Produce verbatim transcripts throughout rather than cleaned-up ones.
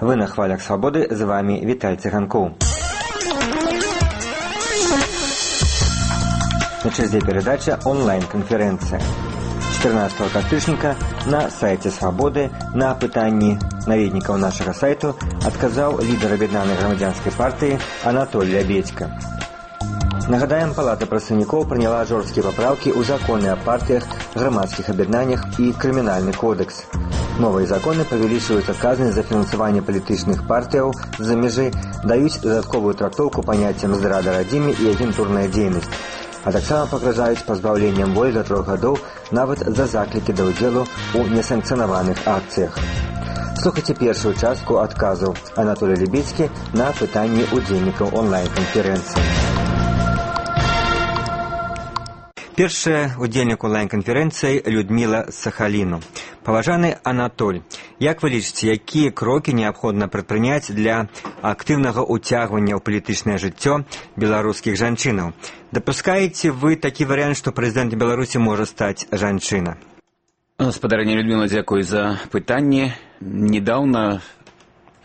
Вы на хвалях свободы, з вами Віталь Цыганкоў. На черзе передача онлайн-конференция. чатырнаццатого кастрычніка на сайте Свободы на пытанні наведнікаў нашага сайту адказаў лідар аб'яднанай грамадзянскай партыі Анатоль Лябедзька. Нагадаем, Палата прадстаўнікоў прыняла жорсткія папраўкі ў законы аб партыях, грамадскіх аб'яднаннях і крымінальны кодекс. Новыя законы павялічваюць адказнасць за фінансаванне палітычных партыяў з-за мяжы, даюць дадатковую трактоўку паняццям здрада радзіме і агентурная дзейнасць, а таксама пагражаюць пазбаўленнем волі да трох гадоў нават за заклікі да ўдзелу ў несанкцыянаваных акцыях. Слухайце першую частку адказаў Анатолія Лябедзькі на пытанні удзельнікаў онлайн-канферэнцыі. Першая удзельнік онлайн-канферэнцыі Людміла з Сахаліну. Паважаны Анатоль, як вы лічыце, якія крокі неабходна прадпрыняць для актыўнага ўцягвання ў палітычнае жыццё беларускіх жанчынаў? Дапускаеце вы такі варыянт, што прэзідэнт Беларусі можа стаць жанчына? Спадарня Людміла, дзякуй за пытанне. Недаўна,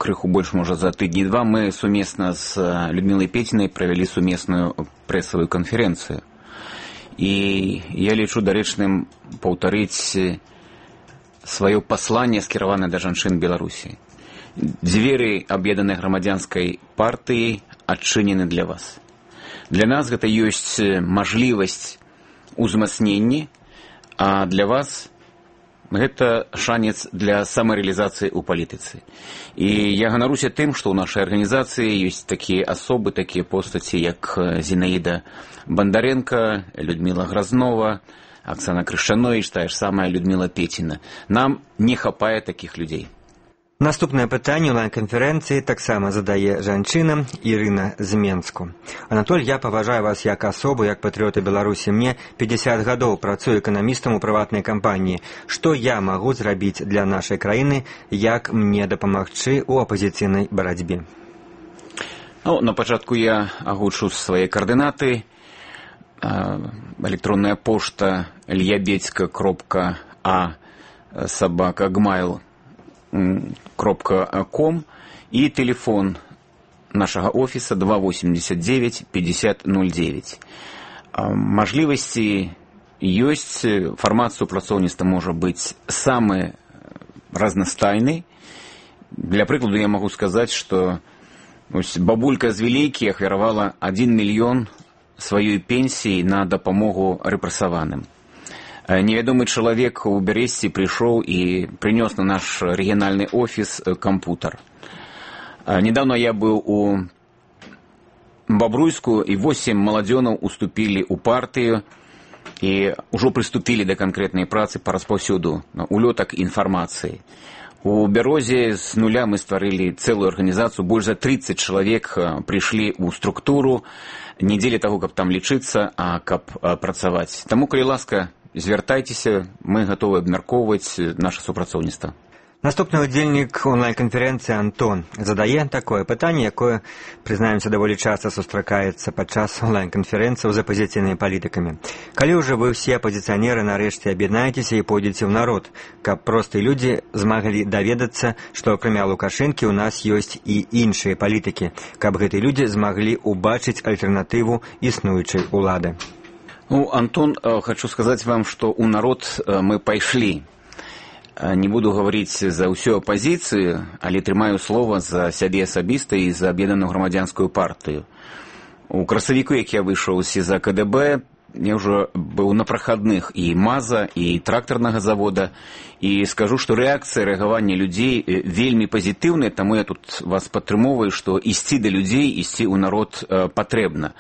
крыху больш, можа, за тыдні два, мы сумесна з Людмілай Пецінай правялі сумесную прэсавую канферэнцыю. І я лічу дарэчным паўтарыць сваё пасланне, скіраванае да жанчын Беларусі. Дзверы аб'яднанай грамадзянскай партыі адчынены для вас. Для нас гэта ёсць мажлівасць узмацнення, а для вас гэта шанец для самарэалізацыі ў палітыцы. І я ганаруся тым, што ў нашай арганізацыі ёсць такія асобы, такія постаці, як Зінаіда Бандаренко, Людміла Гразнова, Оксана Крышанович, тая ж самая Людміла Пеціна. Нам не хапае такіх людзей. Наступнае пытанне онлайн-канферэнцыі таксама задае жанчына Ірына з Менску. Анатоль, я паважаю вас як асобу, як патрыёта Беларусі. Мне пятьдесят гадоў, працую эканамістам у прыватнай кампаніі. Што я магу зрабіць для нашай краіны, як мне дапамагчы ў апазіцыйнай барацьбе? Ну, на пачатку я агучу свае каардынаты. Электронная пошта лябедзька кропка а собака гмайл кропка ком и телефон нашага офіса два восемьдесят девять пятьдесят ноль девять. Мажлівасці ёсць, фармат супрацоўніцтва можа быць самы разнастайны. Для прыкладу я магу сказаць, што бабулька з Вілейкі ахвяравала один мільён сваёй пенсіі на дапамогу рэпрэсаваным. Невядомы чалавек у Бярэсці прыйшоў і прынёс на наш рэгіянальны офіс кампутар. Недавно я быў у Бабруйску, і восемь маладзёнаў уступілі ў партыю і ўжо прыступілі да канкрэтнай працы па распаўсюду улётак інфармацыі. У Бярозе з нуля мы стварылі цэлую арганізацыю, больш за тридцать чалавек прыйшлі ў структуру, не дзеля таго, каб там лічыцца, а каб працаваць. Таму, калі ласка, звяртайцеся, мы гатовы абмяркоўваць наша супрацоўніцтва. Наступны удзельнік онлайн-канферэнцыі Антон задае такое пытанне, якое, прызнаемся, даволі часта сустракаецца падчас онлайн-канферэнцыяў з апазіцыйнымі палітыкамі. Калі ўжо вы ўсе апазіцыянеры нарэшце аб'яднаецеся і пойдзеце ў народ, каб простыя людзі змаглі даведацца, што акрамя Лукашэнкі ў нас ёсць і іншыя палітыкі, каб гэтыя людзі змаглі ўбачыць альтэрнатыву існуючай улады. Ну, Антон, хочу сказаць вам, што ў народ мы пайшлі. Не буду гаварыць за ўсю апазіцыю, але трымаю слова за сябе асабіста і за аб'яднаную грамадзянскую партыю. У красавіку, як я выйшаў з СІЗА КДБ, я ўжо быў на прахадных і МАЗа, і трактарнага завода, і скажу, што рэакцыя рэагавання людзей вельмі пазітыўная, таму я тут вас падтрымоўваю, што ісці да людзей, ісці ў народ патрэбна.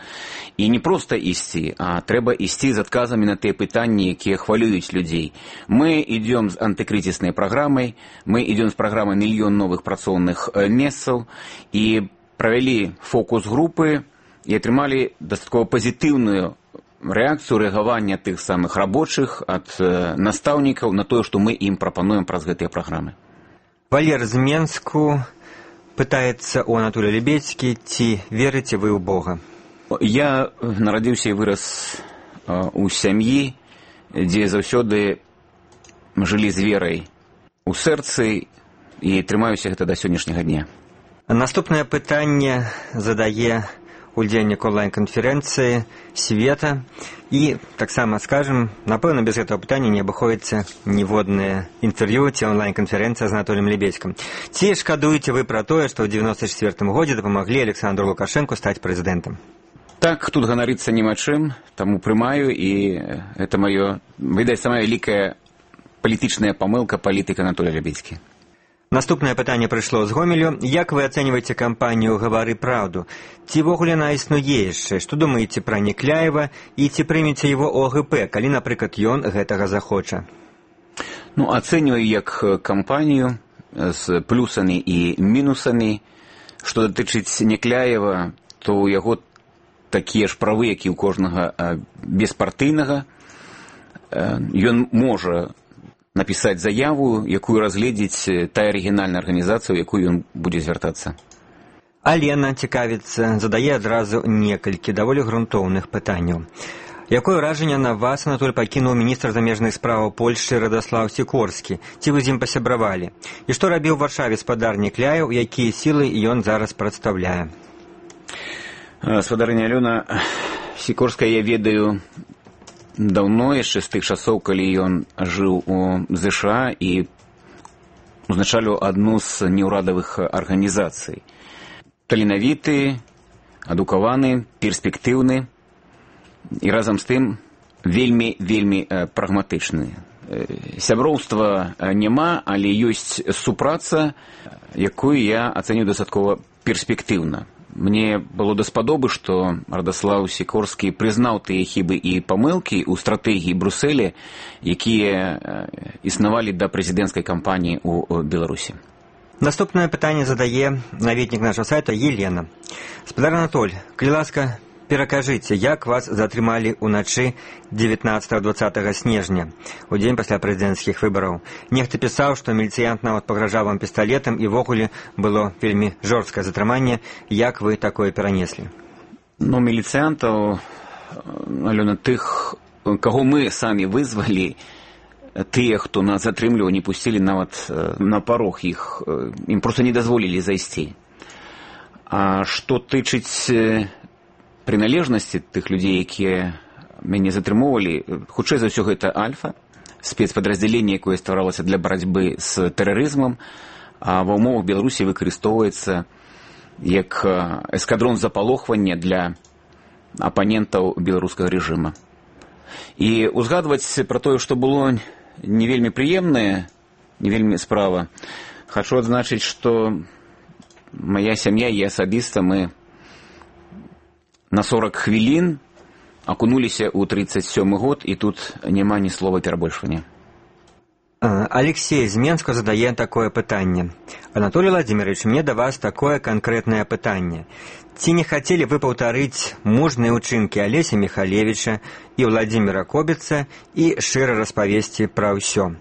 І не проста ісці, а трэба ісці з адказамі на тыя пытанні, якія хвалююць людзей. Мы ідём з антыкрызіснай праграмай, мы ідём з праграмай мільён новых працоўных месцаў і правялі фокус-групы і атрымалі дастаткова пазітыўную рэакцыю рэагавання тых самых рабочых ад настаўнікаў на тое, што мы ім прапануем праз гэтыя праграмы. Валер з Менску пытаецца у Анатолія Лябедзькі, ці верыце вы ў Бога? Я нарадзіўся і вырас у сям'і, дзе заўсёды жылі з верай у сэрцы, і трымаюся гэта да сённяшняга дня. Наступнае пытанне задае удзельнік онлайн-канферэнцыі Света. І таксама скажам, напэўна, без гэтага пытання не абыходзіцца ніводнае інтэрв'ю ці онлайн-канферэнцыя з Анатоліем Лебедзькім. Ці шкадуеце вы пра тое, што ў дзевяносто чацвёртым годзе дапамаглі Александру Лукашэнку стаць прэзідэнтам? Так, тут ганарыцца няма чым, таму прымаю, і гэта маё, відаць, самая вялікая палітычная памылка палітыка Анатолія Лебедзькі. Наступнае пытанне прыйшло з Гомелю. Як вы ацэньваеце кампанію «Гавары праўду»? Ці ввогуле яна існуе яшчэ? Што думаеце пра Некляева і ці прымеце яго о гэ пэ, калі, напрыклад, ён гэтага захоча? Ну, ацэньваю як кампанію з плюсамі і мінусамі. Што датычыць Некляева, то ў яго такія ж правы, як і ў кожнага беспартыйнага. Ён можа напісаць заяву, якую разгледзіць тая арыгінальная арганізацыя, у якую ён будзе звяртацца. Алена цікавіцца, задае адразу некалькі даволі грунтоўных пытанняў. Якое ўражанне на вас, Анатоль, пакінуў міністр замежных спраў Польшчы Радаслаў Сікорскі? Ці вы з ім пасябравалі? І што рабіў у Варшаве спадар Некляеў, якія сілы ён зараз прадстаўляе? Спадарыня Алёна, Сікорская я ведаю даўно, яшчэ з тых часоў, калі ён жыў у зэ ша а і узначаліў адну з неўрадавых арганізацый. Таленавіты, адукаваны, перспектыўны і разам з тым вельмі-вельмі прагматычны. Сяброўства няма, але ёсць супраца, якую я ацэню дастаткова перспектыўна. Мне было даспадобы, што Радаслаў Сікорскі прызнаў тыя хібы і памылкі ў стратэгіі Брусселя, якія існавалі да прэзідэнцкай кампаніі ў Беларусі. Наступнае пытанне задае наведнік нашага сайта Елена. Спадар Анатоль, калі ласка, перакажыце, як вас затрымалі ўначы дзевятнаццатага-дваццатага снежня, у дзень пасля прэзідэнцкіх выбараў. Нехта пісаў, што міліцыянт нават пагражаў вам пісталетам, і ввогуле было вельмі жорсткае затрыманне. Як вы такое перанеслі? Ну, міліцыянтаў, Алёна, тых, каго мы самі вызвалі, тыя, хто нас затрымліваў, не пусцілі нават на парог іх, ім проста не дазволілі зайсці. А што тычыць прыналежнасці тых людзей, якія мяне затрымоўвалі, хутчэй за ўсё гэта Альфа, спецпадраздзяленне, якое стваралася для барацьбы з тэрарызмам, а ва ўмовах Беларусі выкарыстоўваецца як эскадрон запалохвання для апанентаў беларускага рэжыма. І узгадваць пра тое, што было не вельмі прыемнае, не вельмі справа, хачу адзначыць, што мая сям'я і асабіста мы на сорок хвілін акунуліся ў тридцать сёмы год, і тут няма ні слова перабольшвання. Алексей з Менска задае такое пытанне. Анатолий Владимирович, мне да вас такое канкрэтнае пытанне. Ці не хацелі вы паўтарыць мужныя ўчынкі Алеся Михалевича і Владимира Кобіца і шчыра распавесці пра ўсё?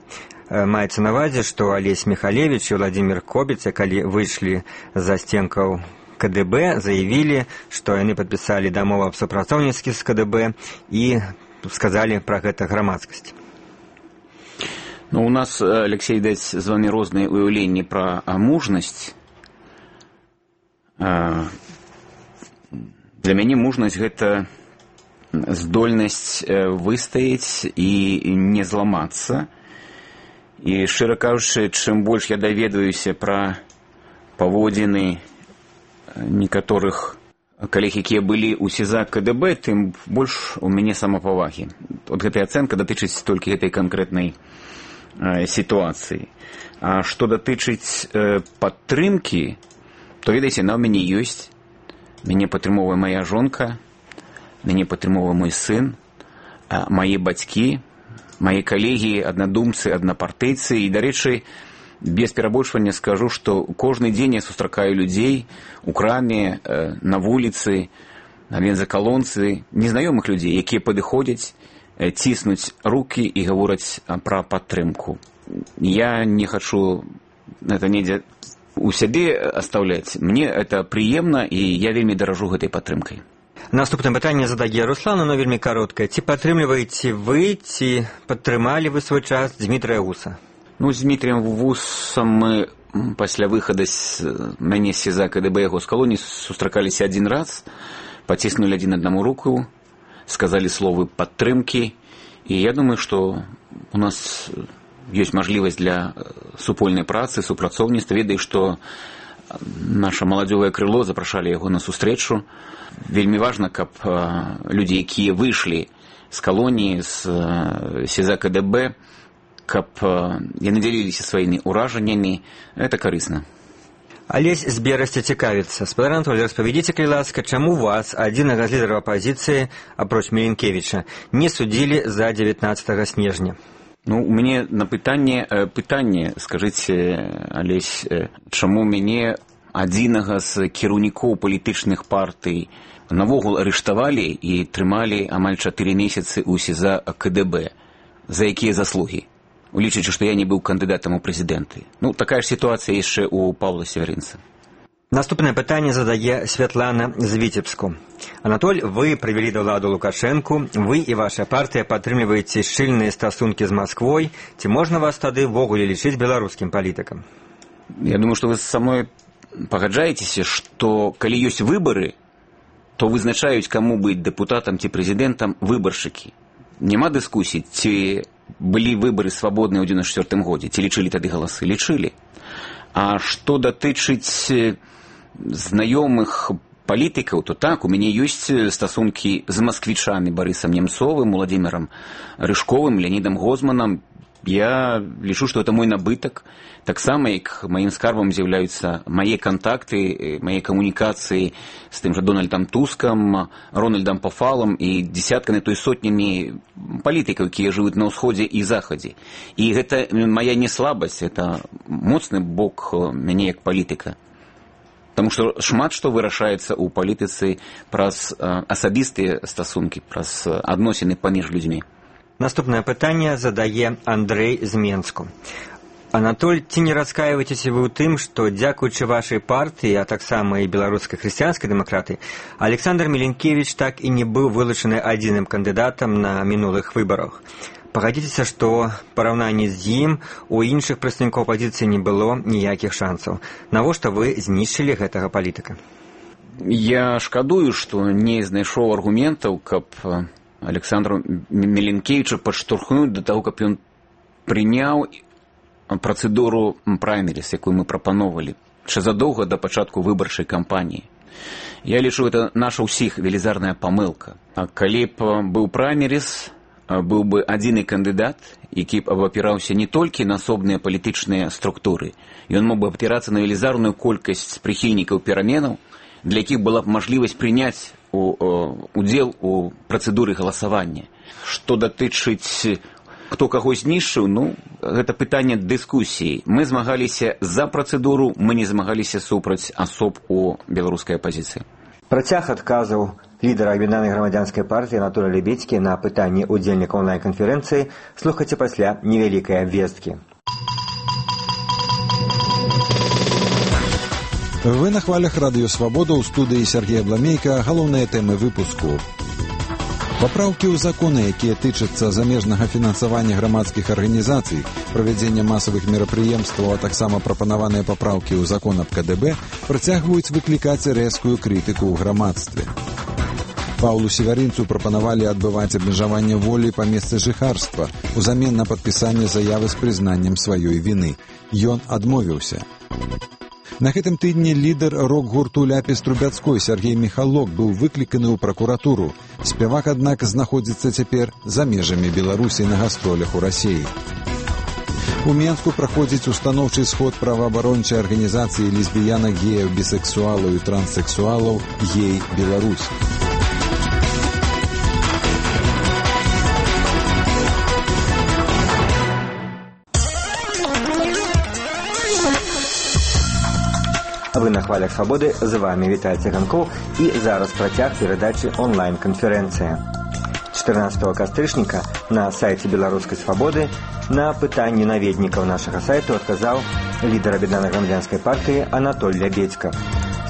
Маецца на ўвазе, што Алесь Михалевич і Владимир Кобіца, калі выйшлі за сценкаў ка дэ бэ, заявілі, што яны падпісалі дамову аб супрацоўніцтве з ка дэ бэ і сказалі пра гэта грамадскасці. Ну, у нас, Алексей, даць з вами розныя уяўленні пра мужнасць. Для мяне мужнасць гэта здольнасць выстаяць і не зламацца. І, шчыра кажучы, чым больш я даведваюся пра паводзіны некаторых калег, якія былі ў СІЗА ка дэ бэ, тым больш у мяне самапавагі. От гэтая ацэнка датычыць толькі гэтай канкрэтнай э, сітуацыі. А што датычыць э, падтрымкі, то, ведаеце, на ў мяне ёсць. Мяне падтрымоўвае мая жонка, мяне падтрымоўвае мой сын, э, мае бацькі, мае калегі, аднадумцы, аднапартыйцы. І, дарэчы, без перабольшвання скажу, што кожны дзень я сустракаю людзей у краме, на вуліцы, на бензакалонцы, незнаёмых людзей, якія падыходзяць, ціснуць рукі і гавораць пра падтрымку. Я не хачу это недзе у сябе оставляць. Мне это прыемна, і я вельмі даражу гэтай падтрымкай. Наступнае пытанне задае Руслан, но вельмі кароткае. Ці падтрымліваеце вы, ці падтрымалі вы свой час Дмітрыя Гуса? Ну, з Дмітрием Вусом мы пасля выхада з мяне з СІЗА КДБ яго з калоніі сустракаліся адзін раз, паціснулі адзін аднаму руку, сказалі словы падтрымкі, і я думаю, што у нас ёсць мажлівасць для супольнай працы, супрацоўніцтва. Ведаю, што наша маладзёвае крыло запрашалі яго на сустрэчу. Вельмі важна, каб людзі, якія выйшлі з калоніі, з СІЗА КДБ, каб яны дзяліліся сваімі ўражаннямі, это карысна. Алесь з Берасці цікавіцца. Спадар Анатолій, распавядзіце, калі ласка, чаму вас, адзінага з лідараў апазіцыі, апроч Міленкевіча, не судзілі за дзевятнаццатага снежня? Ну, у мяне на пытанне, пытанне, скажыце, Алесь, чаму мяне адзінага з кіраўнікоў палітычных партый навогул арыштавалі і трымалі амаль чатыры месяцы ў СІЗА КДБ? За якія заслугі? Улічваючы, што я не быў кандыдатам у прэзідэнты. Ну, такая ж сітуацыя яшчэ ў Паўла Севярынца. Наступнае пытанне задае Святлана з Віцебску. Анатоль, вы прывялі да ўладу Лукашэнку, вы і ваша партыя падтрымліваеце шчыльныя стасункі з Масквой. Ці можна вас тады ввогуле лічыць беларускім палітыкам? Я думаю, што вы са мной пагаджаецеся, што калі ёсць выбары, то вызначаюць, каму быць дэпутатам ці прэзідэнтам выбаршчыкі. Няма дыскусій, ці былі выбары свабодныя ў дзевяносто чвёртым годзе, ці лічылі тады галасы? Лічылі. А што датычыць знаёмых палітыкаў, то так, у мяне ёсць стасункі з масквічамі Барысам Немцовым, Уладзімірам Рыжковым, Леонідам Гозманам. Я лічу, што это мой набытак. Таксама, як маім скарбам з'яўляюцца мае кантакты, мае камунікацыі з тым жа Дональдам Тускам, Рональдам Пафалам і дзесяткамі, то і сотнямі палітыкаў, якія жывуць на ўсходзе і захадзе. І гэта мая не слабасць, это моцны бок мяне як палітыка. Таму што шмат што вырашаецца ў палітыцы праз асабістыя стасункі, праз адносіны паміж людзьмі. Наступнае пытанне задае Андрэй з Менску. Анатоль, ці не раскаиваецеся вы ў тым, што дзякуючы вашай партыі, а таксама і беларускай хрысціянскай дэмакраты, Александр Міленкевіч так і не быў вылучаны адзіным кандыдатам на мінулых выбарах? Пагадзіцеся, што параўнанні з ім у іншых прадстаўнікоў апазіцыі не было ніякіх шансаў. Навошта вы знішчылі гэтага палітыка? Я шкадую, што не знайшоў аргументаў, каб Александру Міленкевічу падштурхнуць да таго, каб ён прыняў працэдуру праймеріс, якую мы прапановвалі яшчэ задоўга да пачатку выбарчай кампаніі. Я лічу, это наша ўсіх велізарная памылка. А калі б быў праймеріс, быў бы адзіны кандыдат, які б абапіраўся не толькі на асобныя палітычныя структуры, ён мог бы абапірацца на велізарную колькасць прыхільнікаў пераменаў, для якіх была б мажлівасць прыняць удзел у працэдуры галасавання. Што датычыць, хто каго знішчыў, ну, гэта пытанне дыскусіі. Мы змагаліся за працэдуру, мы не змагаліся супраць асоб у беларускай апазіцыі. Працяг адказаў лідара аб'яднанай грамадзянскай партыі Анатолія Лебедзькі на пытанні ўдзельніка онлайн-канферэнцыі слухайце пасля невялікай абвесткі. Вы на хвалях Радыё Свабода, ў студыі Сергея Бламейка. Галоўныя тэмы выпуску. Папраўкі ў законы, якія тычацца замежнага фінансавання грамадскіх арганізацый, правядзення масавых мерапрыемстваў, а таксама прапанаваныя папраўкі ў закон аб КДБ працягваюць выклікаць рэзкую крытыку ў грамадстве. Паўлу Севярынцу прапанавалі адбываць абмежаванне волі па месцы жыхарства узамен на падпісанне заявы з прызнаннем сваёй віны. Ён адмовіўся. На гэтым тыдні лідар рок-гурту Ляпіс Трубяцкой Сергей Міхалок быў выкліканы ў пракуратуру. Спявак, аднак, знаходзіцца цяпер за межамі Беларусі на гастролях у Расіі. У Менску праходзіць устаноўчы сход праваабарончай арганізацыі лесбіянак, геяў, бісексуалаў і транссексуалаў «Гей Беларусь». Вы на хвалях свабоды, з вами Віталь Циганков, і зараз працяг перадачы онлайн-канферэнцыя. чатырнаццатага кастрычніка на сайце Беларускай свабоды на пытанні наведнікаў нашага сайту адказаў лідар аб'яднанай грамадзянскай партыі Анатоль Лебедзька.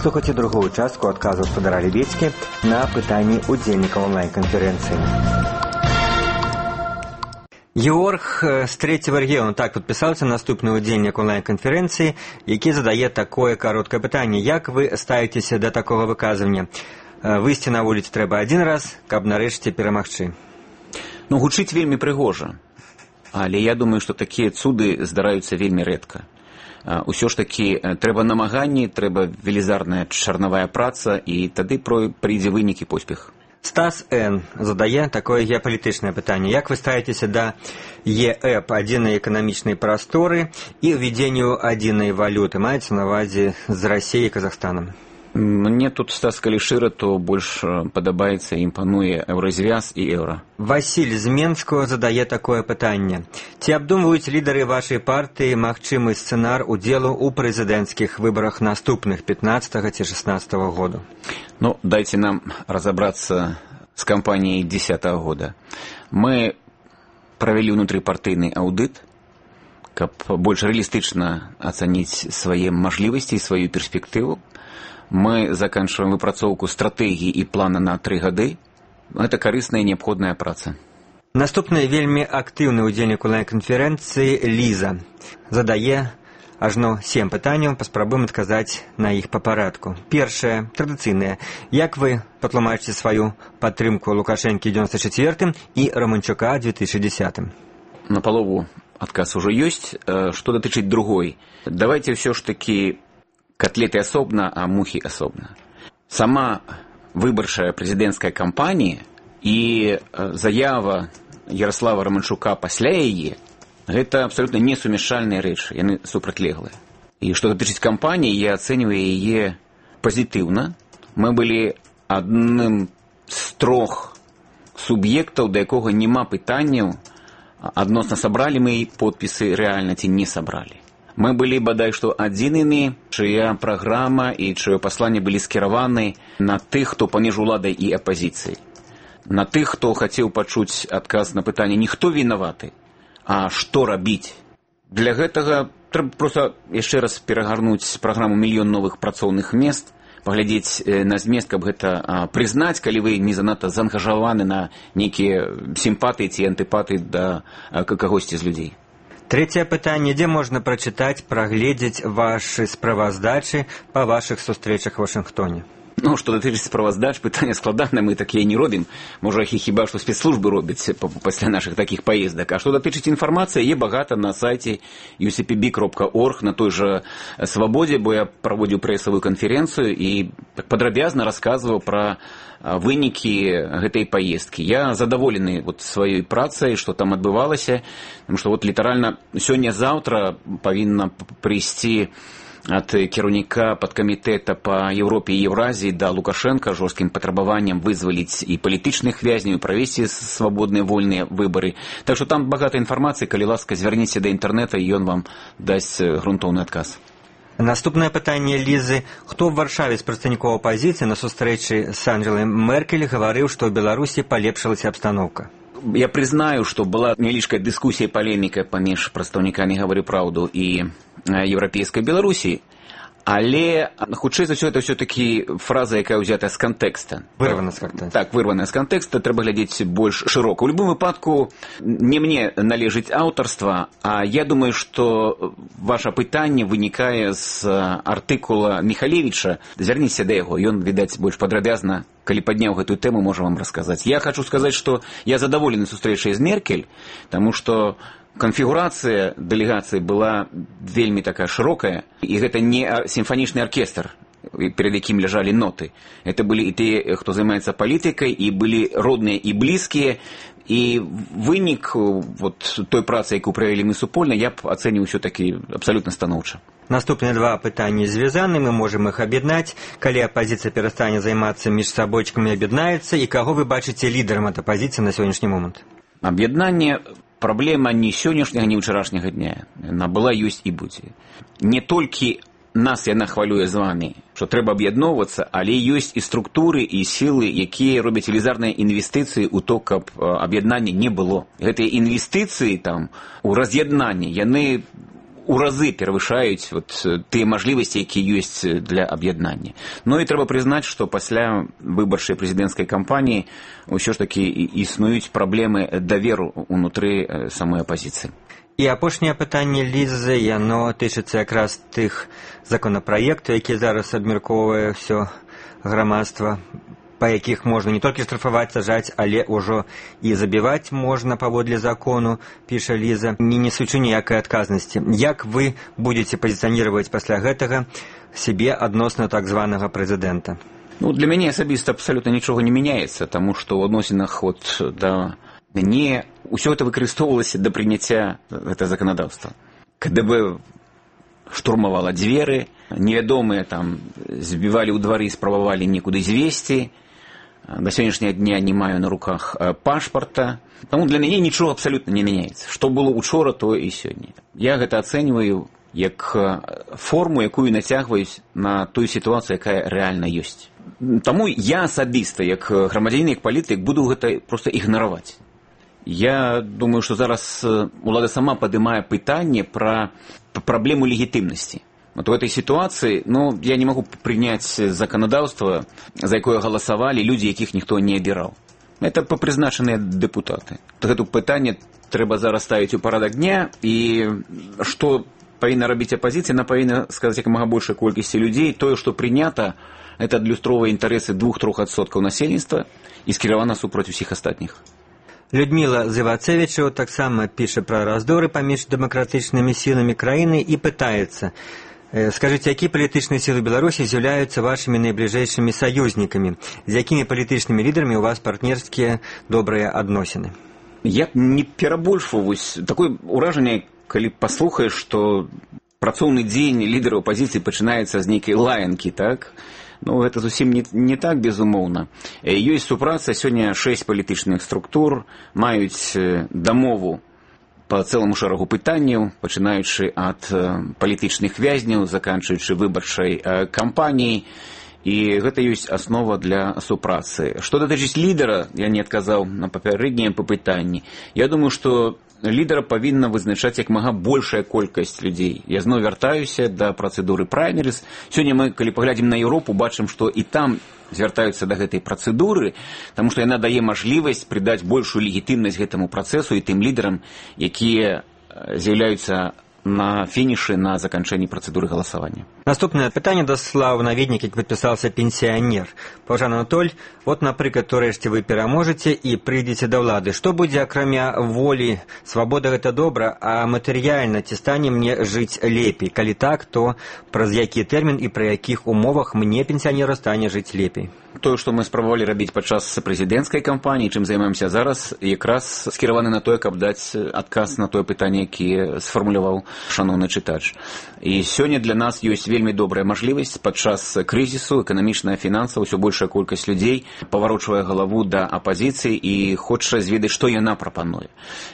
Слухайце другую частку адказу спадара Лебедзькі на пытанні ўдзельнікаў онлайн-канферэнцыі. Георг з третьего регіону так підписався наступний удзельнік онлайн-конференції, який задає такое короткое питання. Як ви ставитеся до такого выказывання? Выйсці на вуліцу трэба один раз, каб нарэшце перамагчы. Ну, гучыць вельмі прыгожа. Але я думаю, што такія цуды здараюцца вельмі рэдка. Усё ж такі трэба намаганні, трэба велізарная чарнавая праца, і тады прыйдзе вынік і поспех. Стас Н. задае такое геапалітычнае пытанне. Як вы ставіцеся да ЕЭП, адзінай эканамічнай прасторы, і ўвядзенню адзінай валюты? Маецца на ўвазе з Расіяй і Казахстанам? Мне тут, Стас, калі шчыра, то больш падабаецца, імпануе еўразвяз і еўра. Васіль з Менскага задае такое пытанне. Ці абдумваюць лідары вашай партыі магчымы сцэнар удзелу ў прэзідэнцкіх выбарах наступных пятнадцатага ці шестнадцатага году? Ну, дайте нам разобраться с кампанией десятого года. Мы провели внутрипартийный аудит, как больше реалистично оценить свои можливости и свою перспективу. Мы заканчиваем выпрацоўку стратегии и плана на три года. Это корыстная и необходная праца. Наступны вельмі актыўны ўдзельнік онлайн-канферэнцыі Ліза задае ажно сем пытанняў, паспрабуем адказаць на іх па парадку. Першае, традыцыйнае. Як вы патлумачыце сваю падтрымку Лукашэнкі девяносто четвёртым і Романчука две тысячи десятым? На полову отказ уже есть. Что датычыць другой? Давайте все ж таки котлеты особно, а мухи особно. Сама выбарчая прэзідэнцкая кампанія і заява Ярослава Романчука пасля яе — гэта абсолютно несумяшальныя рэчы, яны супрацьлеглыя. І што датычыць кампаніі, я ацэньваю яе пазітыўна. Мы былі адным з трох суб'ектаў, да якога няма пытанняў адносна сабралі мы подпісы рэальна ці не сабралі. Мы былі бадай што адзінымі, чыя праграма і чыё пасланне былі скіраваны на тых, хто паміж уладай і апазіцыяй. На тых, хто хацеў пачуць адказ на пытанне не хто вінаваты, а што рабіць. Для гэтага трэба проста яшчэ раз перагарнуць праграму «Мільён новых працоўных мест», паглядзець на змест, каб гэта прызнаць, калі вы не занадта заангажаваны на нейкія сімпатыі ці антыпатыі да кагосьці з людзей. Трэцяе пытанне. Дзе можна прачытаць, прагледзець вашы справаздачы па вашых сустрэчах у Вашынгтоне? Ну, што датычыць справаздач, пытанне складанае, мы такія не робім. Можа, хіба што спецслужбы робяць пасля нашых такіх паездак. А што датычыць інфармацыі, є багата на сайце ю си пі би крапка орг, на той жа Свабодзе, бо я праводзіў прэсавую канферэнцыю і падрабязна расказваў пра вынікі гэтай паездкі. Я задаволены вот сваёй працай, што там адбывалася, тому што вот літаральна сёння-заўтра павінна прыйсці ад кіраўніка падкамітэта па Еўропе і Еўразіі да Лукашэнка жорсткім патрабаваннем вызваліць і палітычных вязняў, правесці свабодныя вольныя выбары. Так што там багата інфармацыі, калі ласка, звярніце да інтэрнэта, і ён вам дасць грунтоўны адказ. Наступнае пытанне Лізы. Хто ў Варшаве з прадстаўнікоў апазіцыі на сустрэчы з Ангелай Меркель гаварыў, што ў Беларусі палепшылася абстаноўка? Я признаю, что была невеличкая дискуссия, полемика паміж прадстаўнікамі «Говорю правду» и Европейской Беларуси, але хутчэй за ўсё это все-таки фраза, якая ўзята з контекста. Вырвана з контекста. Так, вырвана з контекста, трэба глядзець больш шырока. У любым выпадку не мне належыць аўтарства, а я думаю, што ваше пытанне вынікае з артыкула Михалевича. Звярніцеся да яго, ён, відаць, больш падрабязна, калі падняў гэтую тэму, можа вам расказаць. Я хочу сказаць, што я задаволены сустрэчай з Меркель, таму што конфігурацыя дэлегацыі была вельмі такая шырокая, і гэта не сімфанічны аркестр, перед якім ляжалі ноты. Это былі і тыя, хто займаецца палітыкай, і былі родныя і блізкія, і вынік вот той працы, якую правялі мы супольна, я б ацэніў усё-такі абсалютна станоўча. Наступныя два пытанні звязаны, мы можам іх аб'яднаць. Калі апазіцыя перастане займацца між сабойчыкамі, аб'яднаецца, і каго вы бачыце лідарам ад апазіцыі на сённяшні момант? Аб'яднанне праблема не сённяшняга, не ўчарашняга дня. Яна была, ёсць і будзе. Не толькі нас яна хвалюе з вами, што трэба аб'ядноўвацца, але ёсць і структуры, і сілы, якія робяць велізарныя інвестыцыі ў то, каб аб'яднання не было. Гэтыя інвестыцыі там у раз'яднанне, яны у разы перавышаюць вот тыя мажлівасці, якія ёсць для аб'яднання. Ну і трэба прызнаць, што пасля выбарчай прэзідэнцкай кампаніі ўсё ж такі існуюць праблемы даверу ўнутры самой апазіцыі. І апошняе пытанне Лізы, яно тычыцца якраз тых законапраектаў, які зараз абмяркоўвае ўсё грамадства, па якіх можна не толькі штрафаваць, сажаць, але ўжо і забіваць можна паводле закону, піша Ліза, не несучы ніякай адказнасці. Як вы будзеце пазіцыяніраваць пасля гэтага сябе адносна так званага прэзідэнта? Ну, для мяне асабіста абсалютна нічога не мяняецца, таму што ў адносінах от да не ўсё гэта выкарыстоўвалася да прыняцця гэтага заканадаўства. КДБ штурмавала дзверы, невядомыя там збівалі ў двары, спрабавалі некуды звесці. До сённяшняга дня не маю на руках пашпарта. Таму для мяне нічога абсалютна не мяняецца. Што было учора, тое і сёння. Я гэта ацэньваю як форму, якую нацягваюць на тую сітуацыю, якая рэальна ёсць. Таму я асабіста, як грамадзянін, як палітык, буду гэта проста ігнараваць. Я думаю, што зараз улада сама падымае пытанне пра праблему легітымнасці. Вот в этой ситуации, ну, я не могу принять законодавство, за якое голосовали люди, якіх ніхто не абіраў. Это прызначаныя дэпутаты. Гэту пытанне трэба зараз ставіць у парадак дня, і што павінна рабіць апазіцыя, она павінна сказаць як мага большай колькасці людзей. Тое, што прынята, это адлюстроўвае інтарэсы двух-трох адсоткаў насельніцтва і скіравана супраць усіх астатніх. Людмила Зывацевичева таксама піша пра раздоры паміж дэмакратычнымі сіламі краіны і пытаецца: скажите, якія палітычныя сілы Беларусі з'яўляюцца вашымі найбліжэйшымі саюзнікамі? З якімі палітычнымі лідарамі у вас партнерскія добрыя адносіны? Я не перабольшваю. Такое ўражанне, калі паслухаеш, што працоўны дзень лідараў апазіцыі пачынаецца з нейкай лаянкі, так? Ну, гэта зусім не, не так, безумоўна. Ёсць супраца, сёння шэсць палітычных структур маюць дамову по цэлому шэрагу пытанняў, пачынаючы ад палітычных вязняў, заканчваючы выбарчай кампаніяй, і гэта ёсць аснова для супрацы. Што датычыць лідара, я не адказаў на папярэднія пытанні. Я думаю, што лідара павінна вызначаць як мага большая колькасць людзей. Я зноў вяртаюся да працэдуры праймерыз. Сёння мы, калі паглядзім на Еўропу, бачым, што і там звяртаюцца да гэтай працэдуры, таму што яна дае мажлівасць прыдаць большую легітымнасць гэтаму працэсу і тым лідарам, якія з'яўляюцца на фінішы на заканчэнні працэдуры галасавання. Наступнае пытанне даслаў наведнік, які падпісаўся пенсіянер. Паважаны Анатоль, от, напрыклад, урэшце вы пераможаце і прыйдзеце да ўлады. Што будзе, акрамя волі? Свабода гэта добра, а матэрыяльна ці стане мне жыць лепей? Калі так, то праз які тэрмін і пры якіх умовах мне, пенсіянеру, стане жыць лепей? Тое, што мы спрабавалі рабіць падчас прэзідэнцкай кампаніі, чым займаемся зараз, якраз скіраваны на тое, каб даць адказ на тое пытанне, які сфармуляваў шаноўны чытач. І сёння для нас ёсць вельмі добрая мажлівасць падчас крызісу, эканамічная, фінансава, ўсё большая колькасць людзей паварочвае галаву да апазіцыі і хоча зведаць, што яна прапануе.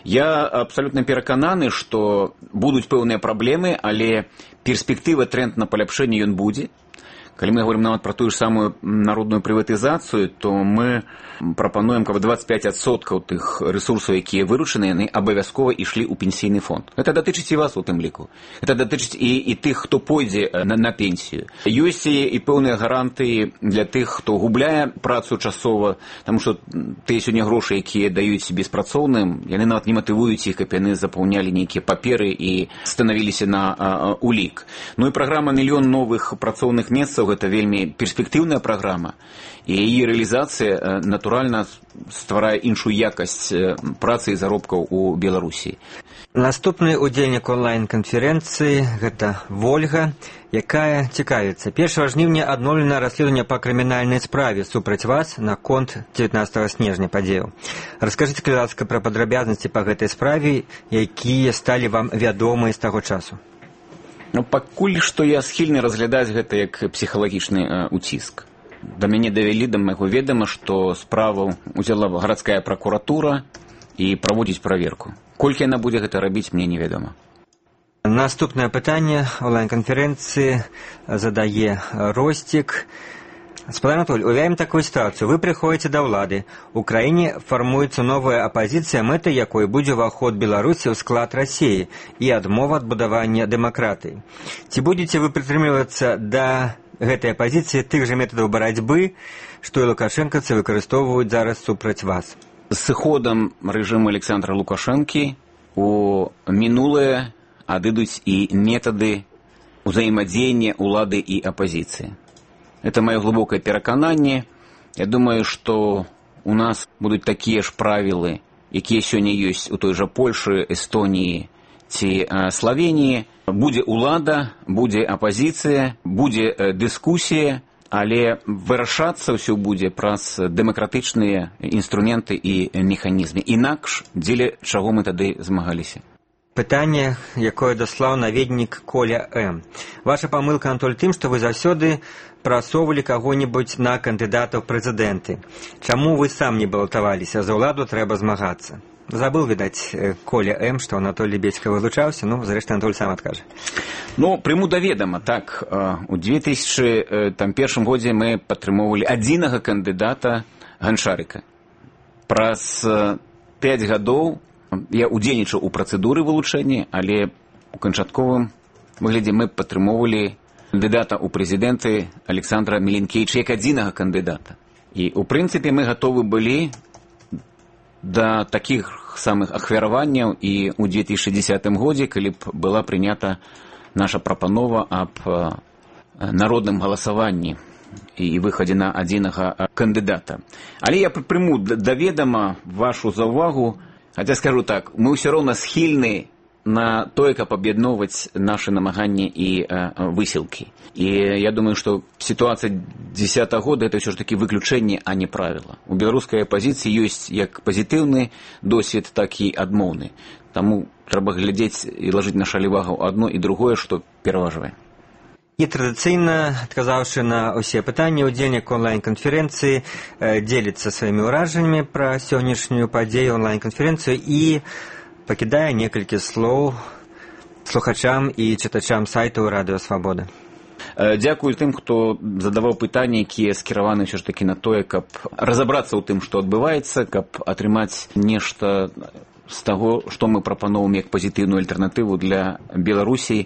Я абсалютна перакананы, што будуць пэўныя праблемы, але перспектыва, тренд на паляпшэнне ён будзе. Калі мы говорим нават про тую ж самую народную прыватызацыю, то мы прапануем, каб двадцять пять адсоткаў тых рэсурсаў, якія выручаны, яны абавязкова ішлі ў пенсійны фонд. Гэта датычыць і вас у тым ліку. Гэта датычыць і, і тых, хто пойдзе на, на пенсію. Ёсць і, і пэўныя гарантыі для тых, хто губляе працу часова, таму што тыя сёння грошы, якія даюць беспрацоўным, яны нават не матывуюць іх, каб яны запаўнялі нейкія паперы і станавіліся на а, улік. Ну і праграма «Мільён новых працоўных месцаў» — гэта вельмі перспектыўная праграма, і яе рэалізацыя натуральна стварае іншую якасць працы і заробкаў у Беларусі. Наступны удзельнік онлайн-канферэнцыі — гэта Вольга, якая цікавіцца. першага жніўня адноўлена расследаванне па крымінальнай справе супраць вас наконт дзевятнаццатага снежня падзеяў. Раскажыце, калі ласка, пра падрабязнасці па гэтай справе, якія сталі вам вядомыя з таго часу. Ну, пакуль што я схільны разглядаць гэта як псіхалагічны э, уціск. Да мяне давялі да майго ведама, што справу ўзяла гарадская пракуратура і праводзіць праверку. Колькі яна будзе гэта рабіць, мне невядома. Наступнае пытанне онлайн-канферэнцыі задае Ростик. Спадар Анатолий, уявим такую ситуацию. Вы приходите до ўлады. У краіне фармуецца новая апозіцыя, мэтай якой будзе ўваход Беларусі ў склад России і адмова ад будавання дэмакратыі. Ці будете вы прытрымлівацца да гэтай апозіцыі тых жа метадаў барацьбы, што і лукашэнкаўцы выкарыстоўваюць зараз супраць вас? З сыходам рэжыму Александра Лукашэнкі у мінулае адыдуць і метады ўзаемадзеяння ўлады і апозіцыі. Это мое глубокое перакананне. Я думаю, что у нас будут такие ж правілы, якія сёння ёсць у той жа Польшы, Эстоніі ці Словеніі. Будзе ўлада, будзе апозіцыя, будзе дыскусія, але вырашацца ўсё будзе праз дэмакратычныя інструменты і механізмы. Інакш, дзеля чаго мы тады змагаліся? Пытанне, якое даслаў наведнік Коля М. Ваша памылка, Анатоль, тым, што вы заўсёды прасоўвалі каго-небудзь на кандыдата ў прэзідэнты. Чаму вы сам не балатаваліся? За ўладу трэба змагацца. Забыл, відаць, Коля М., што Анатоль Лебедзька вылучаўся, ну, зрэшты, Анатоль сам адкажа. Ну, прыму да ведама, так, у две тысячы першым годзе мы падтрымоўвалі адзінага кандыдата Ганчарыка. Праз пяць гадоў я удзельнічаў у працэдуры вылучэння, але у канчатковым выглядзе мы падтрымоўвалі кандыдата ў прэзідэнты Александра Міленкевіча як адзінага кандыдата. І, у прынцыпе, мы гатовы былі да такіх самых ахвяраванняў і ў две тысячы дзесятым годзе, калі б была прынята наша прапанова аб народным галасаванні і выхадзе на адзінага кандыдата. Але я прыму да ведама вашу заўвагу. Хаця скажу так, мы ўсё роўна схільны на тое, каб аб'ядноўваць нашы намаганні і э, высілкі. І я думаю, што сітуацыя дзесятага года это ўсё ж такі выключэнне, а не правіла. У беларускай апозіцыі ёсць як пазітыўны досвед, так і адмоўны. Таму трэба глядзець і лажыць на шалівагу адно і другое, што пераважвае. І традыцыйна, адказаўшы на ўсе пытанні, удзельнік онлайн-канферэнцыі дзеліцца сваімі ўражаннямі пра сённяшнюю падзею онлайн-канферэнцыю і пакідае некалькі слоў слухачам і чытачам сайту Радыё Свабода. Дзякую тым, хто задаваў пытанні, якія скіраваны ўсё ж такі на тое, каб разабрацца ў тым, што адбываецца, каб атрымаць нешта з таго, што мы прапаноўваем як пазітыўную альтэрнатыву для Беларусі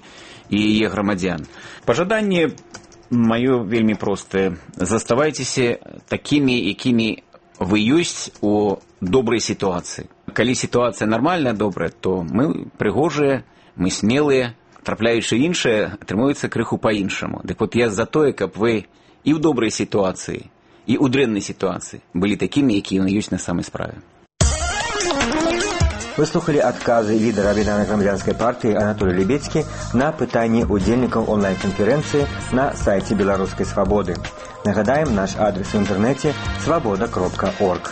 і яе грамадзян. Пажаданне маё вельмі простае. Заставайцеся такімі, якімі вы ёсць у добрай сітуацыі. Калі сітуацыя нармальная, добрая, то мы прыгожыя, мы смелыя, трапляючы іншае, атрымуецца крыху па-іншаму. Дык вот я за тое, каб вы і ў добрай сітуацыі, і ў дрэннай сітуацыі былі такімі, якія ёсць на самай справе. Вы слухали адказы лідара Аб'яднанай грамадзянскай партыі Анатолія Лебедзькі на пытанні удзельнікаў онлайн-канферэнцыі на сайце Беларускай Свабоды. Нагадаем, наш адрес у інтэрнэце свабода кропка орг.